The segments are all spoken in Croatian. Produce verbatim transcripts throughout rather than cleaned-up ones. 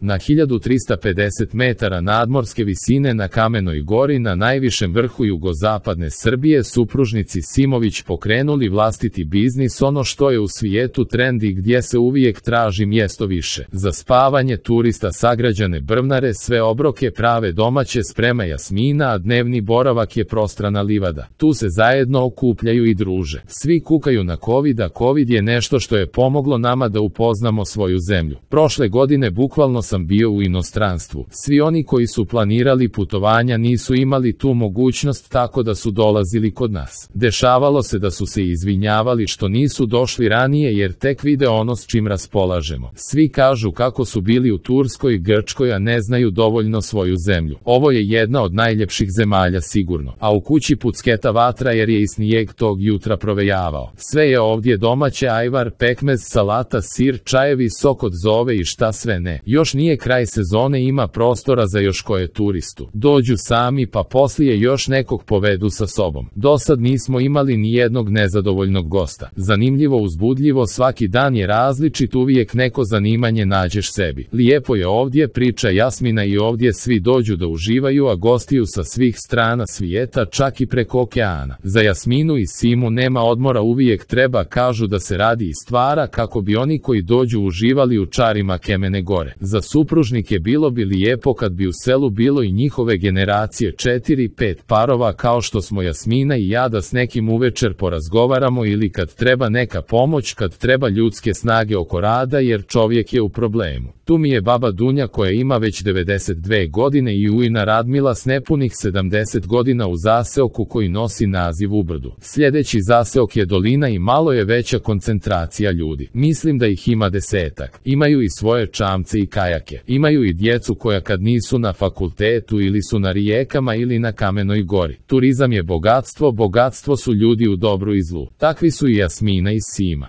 Na hiljadu trista pedeset metara nadmorske visine na Kamenoj gori na najvišem vrhu jugozapadne Srbije supružnici Simović pokrenuli vlastiti biznis, ono što je u svijetu trend i gdje se uvijek traži mjesto više. Za spavanje turista sagrađene brvnare, sve obroke prave domaće, sprema Jasmina, a dnevni boravak je prostrana livada. Tu se zajedno okupljaju i druže. Svi kukaju na Covid, a Covid je nešto što je pomoglo nama da upoznamo svoju zemlju. Prošle godine bukvalno sam bio u inostranstvu. Svi oni koji su planirali putovanja nisu imali tu mogućnost, tako da su dolazili kod nas. Dešavalo se da su se izvinjavali što nisu došli ranije jer tek vide ono s čim raspolažemo. Svi kažu kako su bili u Turskoj i Grčkoj, a ne znaju dovoljno svoju zemlju. Ovo je jedna od najljepših zemalja sigurno. A u kući pucketa vatra jer je i snijeg tog jutra provejavao. Sve je ovdje domaće, ajvar, pekmez, salata, sir, čajevi, sok od zove i šta sve ne. Još nije kraj sezone, ima prostora za još koje turistu. Dođu sami pa poslije još nekog povedu sa sobom. Dosad nismo imali ni jednog nezadovoljnog gosta. Zanimljivo, uzbudljivo, svaki dan je različit, uvijek neko zanimanje nađeš sebi. Lijepo je ovdje, priča Jasmina, i ovdje svi dođu da uživaju, a gostiju sa svih strana svijeta, čak i preko okeana. Za Jasminu i Simu nema odmora, uvijek treba, kažu, da se radi i stvara kako bi oni koji dođu uživali u čarima Kamene gore. Za supružnike bilo bi lijepo kad bi u selu bilo i njihove generacije, četiri pet parova kao što smo Jasmina i ja, da s nekim uvečer porazgovaramo ili kad treba neka pomoć, kad treba ljudske snage oko rada jer čovjek je u problemu. Tu mi je baba Dunja koja ima već devedeset dvije godine i ujna Radmila s nepunih sedamdeset godina u zaseoku koji nosi naziv Ubrdu. Sljedeći zaseok je dolina i malo je veća koncentracija ljudi. Mislim da ih ima desetak. Imaju i svoje čamce i kajake. Imaju i djecu koja kad nisu na fakultetu ili su na rijekama ili na Kamenoj gori. Turizam je bogatstvo, bogatstvo su ljudi u dobru i zlu. Takvi su i Jasmina i Sima.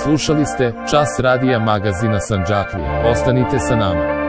Slušali ste Čas radija magazina Sandžaklija. Ostanite sa nama.